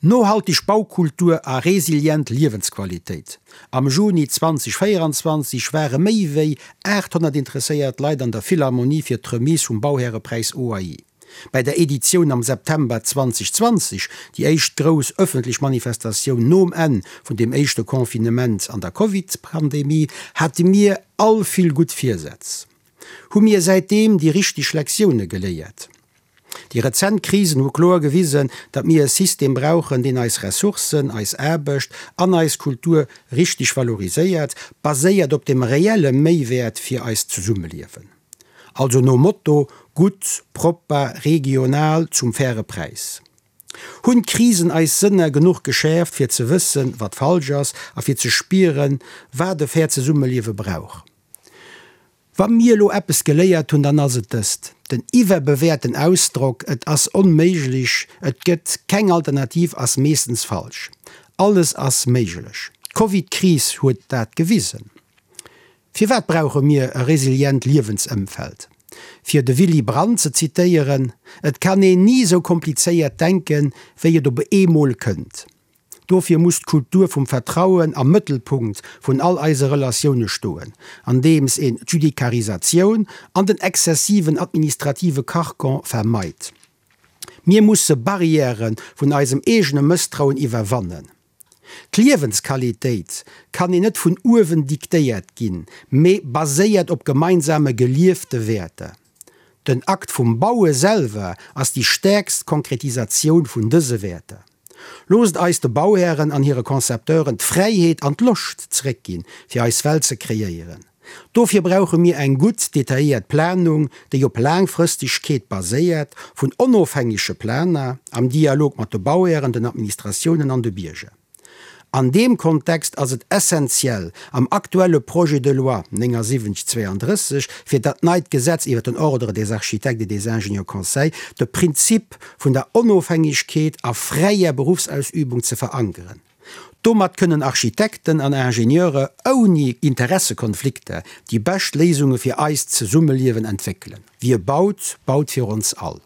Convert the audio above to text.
Nohalteg Baukultur a resilient Liewensqualitéit, Am Juni 2024 ware méi wéi 800 interesséiert Leit an der Philharmonie fir d'Remise vum Bauhärepräis OAI. Bei der Editioun am September 2020, déi éischt grouss ëffentlech Manifestatioun nom Enn vun dem éischte Confinement an der Covid-Pandemie, hate mir all vill gutt Virsätz. Hu mir säitdeem déi richteg Lektioune geléiert? Déi rezent Krisen hu kloer gewisen, datt mir e System brauchen, deen eis Ressourcen, eis Aarbecht an eis Kultur richteg valoriséiert, baséiert op dem reelle Méiwäert fir eist Zesummeliewen. Also nom Motto, gutt, propper, regional, zum faire Präis. Hunn d'Krisen eis Sënner genuch geschäerft, fir ze wëssen, wat falsch ass a fir ze spieren, wat e fair Zesummeliewe brauch? Wa mir elo eppes geléiert hunn, dann ass et dëst, Den iwwerbewäerten Ausdrock et ass onméiglech, et gëtt keng Alternativ ass meeschtens falsch. Alles ass méiglech. D'Covid-Kris huet dat gewisen. Firwat brauche mir e resilient Liewensëmfeld? Fir de Willy Brandt ze zitéieren, Et kann een ni esou komplizéiert denken, wéi et op eemol kënnt. Dofir muss d'Kultur vum Vertrauen am Mëttelpunkt vun all eise Relatioune stoen, andeems een d'Judikarisatioun an den exzessiven administrative Carcan vermeit. Mir musse Barrièrë vun eisem eegene Mësstrauen iwwerwannen. D'Liewensqualitéit kann een net vun uewen diktéiert ginn, mee baséiert op gemeinsame geliefte Wäerter. Den Akt vum Baue selwer ass déi stäerkst Konkretisatioun vun dëse Wäerter. Loosst eis de Bauhären an hire Concepteuren d'Fräiheet an d'Loscht zeréckginn, fir eis Welt ze kreéieren. Dofir brauche mir eng gutt detailléiert Planung, déi op Laangfrëstegkeet baséiert, vun onofhängege Planer, am Dialog mat de Bauhären, den Administratiounen an de Bierger. An deem Kontext ass et essenziell, am aktuelle Projet de loi 7932 fir dat neit Gesetz iwwer den Ordre des architectes et des ingénieurs conseils de Prinzip vun der Onofhängegkeet a fräier Berufsausübung ze verankeren. Domat kënnen Architekten an Ingenieure ouni Interessekonflikter déi bescht Léisunge fir eist Zesummeliewen entwéckelen. Wie baut, baut fir ons all.